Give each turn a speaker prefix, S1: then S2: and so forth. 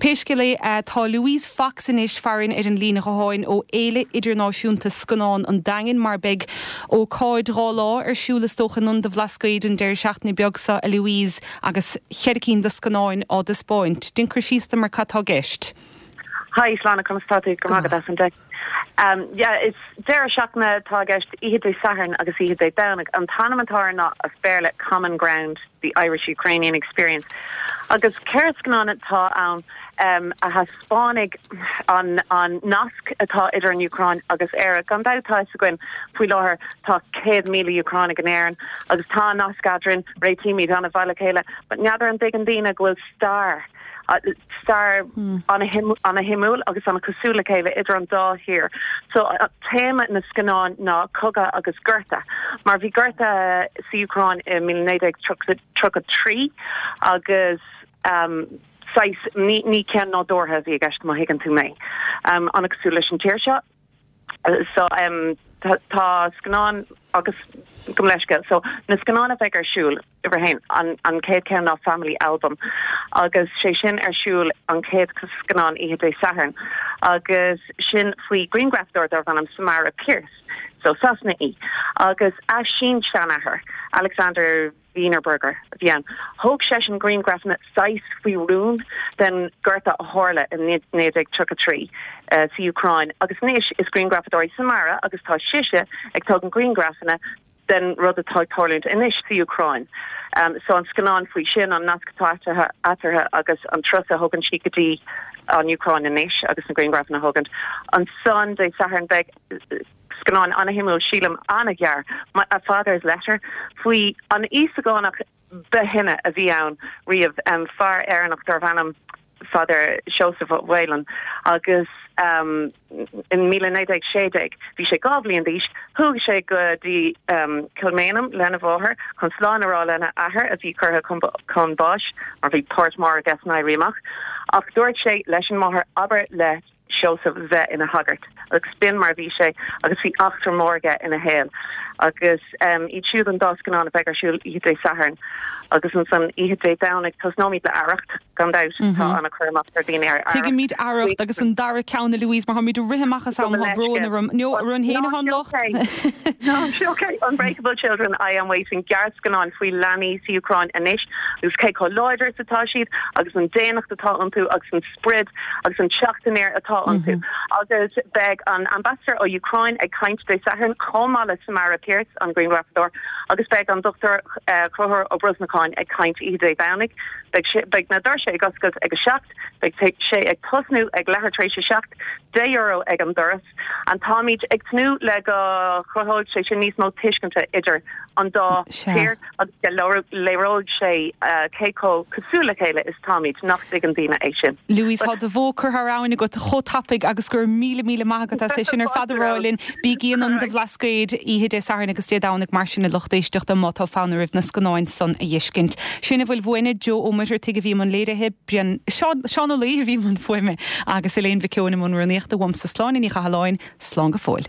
S1: Pé scéal é, tá Louise Fox anois farainn ar an líne ghutháin ó Fhéile Idirnáisiúnta Scannán an Daingin mar beidh ócáid 2 lá ar siúl is dócha in Ionad an Bhlascaoid an deireadh seachtaine beag seo, a Louise, agus cheithre cinn de scannáin á dtaispeáint. Déan cur síos dom ar cad tá i gceist.
S2: Hi Sláine, conas tá tú? Go raibh maith agat as an deis. Yeah, is deireadh seachtaine atá i gceist, oíche Dé Sathairn agus oíche Dé Domhnaigh. An t-ainm atá air ná, as Béarla, Common Ground, The Irish-Ukrainian Experience. Agus ceithre scannán atá ann a thaispeánfaidh an an nasc atá idir an Úcráin agus Éire. Gan dabht tá fhios againn faoi láthair tá 100,000 Úcránaigh in Éirinn agus tá nasc eadrainn, réitímid an-mhaith le chéile, but n'fheadar an dtuigeann daoine go bhfuil stair stair ana-shuimiúil agus ana-chosúil le chéile idir an dá thír. So téama na scannán ná cogadh agus gorta, mar bhí gorta sa Úcráin i 1933 agus saghas, ní ceann nádúrtha a bhí i gceist má thuigeann tú mé. Ana-chosúil leis an tír seo. So tá scannán agus gabh mo leithscéal. So na scannáin a bheidh ar siúl, uimhir a haon, an an chéad cheann ná Family Album agus sé sin ar siúl an chéad scannán oíche Dé Sathairn agus sin faoi ghrianghrafadóir darbh ainm Samara Pearse. So Sasanach í agus a sin-seanathair Alexander Wienerberger a bhí ann. Thóg seisean grianghrafanna saghas faoi rún den ghorta a tharla i 1933 sa Úcráin agus anois is grianghrafadóir í Samara agus tá sise ag tógaint grianghrafanna den rud atá ag tarlúint anois sa Úcráin. So an scannán faoi sin, an nasc atá eatarthu agus an turas a thugann sí go dtí an Úcráin anois agus na grianghrafanna a thógaint. Ansan Dé Sathairn beidh. Scannán ana-shuimiúil, sílim, an-ghearr, A Father's Letter, faoi an Íosagánach ba shine a bhí ann riamh, fear Éireannach darbh ainm Father Seosamh Ó Mhaoláin, agus in 1916, bhí sé 2 bhliain d'aois, chuaigh sé go dtí Kilmainham lena mháthair chun slán a rá lena athair a bhí curtha chun báis mar bhí páirt mhór aige san Éirí Amach. Ach dúirt sé leis an máthair, abair le. Seosamh bheith ina shagart agus b'in mar a bhí sé agus bhí eachtra mór aige ina shaol agus iad siúd an dá scannán a bheidh ar siúl oíche Dé Sathairn agus ansan oíche Dé Domhnaigh tosnóimid le Arracht gan dabht tá ana-chur amach ar dhaoine ar
S1: Arracht. Tuigimid Arracht agus an dara ceann a Louise mar táimid ag rith amach as am tá brón orm. No, orainn féin atá an locht.
S2: No, it's okay. Unbreakable Children, I Am Waiting, gearrscannán faoi leanaí sa Úcráin anois agus cé chomh láidir is atá siad agus an daonnacht atá iontu agus an sprid agus an teacht aniar atá iontu. Agus beidh an Ambassador ó Úcráin ag caint Dé Sathairn chomh maith le Samara Pearse, an grianghrafadóir, agus beidh an Dr Conchúr Ó Brosnacháin ag caint oíche Dé Domhnaigh. Beidh sé, beidh na doirse ag oscailt ag 7, beidh sé ag tosnú ag leathuair tar éis a 7, €10 ag an doras. And táimid ag tnúth le go chruthóidh sé sin níos mó tuiscinte idir an dá thír agus go léireoidh sé cé chomh cosúil le chéile is táimid, nach dtuigeann daoine é sin.
S1: Louise, tá do bhó curtha thar abhainn agat chomh tapaidh agus go raibh míle míle maith agat as é sin ar fad a rá linn. Bígí in Ionad an Bhlascaoid oíche Dé Sathairn agus Dé Domhnaigh mar sin a lucht éisteachta má tá fonn oraibh na scannáin san a dh'fheiscint. Sin a bhfuil uainne, Joe Ó Muircheartaigh a bhí i mbun léirithe, Seán Ó Laoi a bhí i mbun fuaime agus Elaine Mhic Eoin i mbun rúnaíochta. Uaimse Sláine Ní Chathalláin, slán go fóill.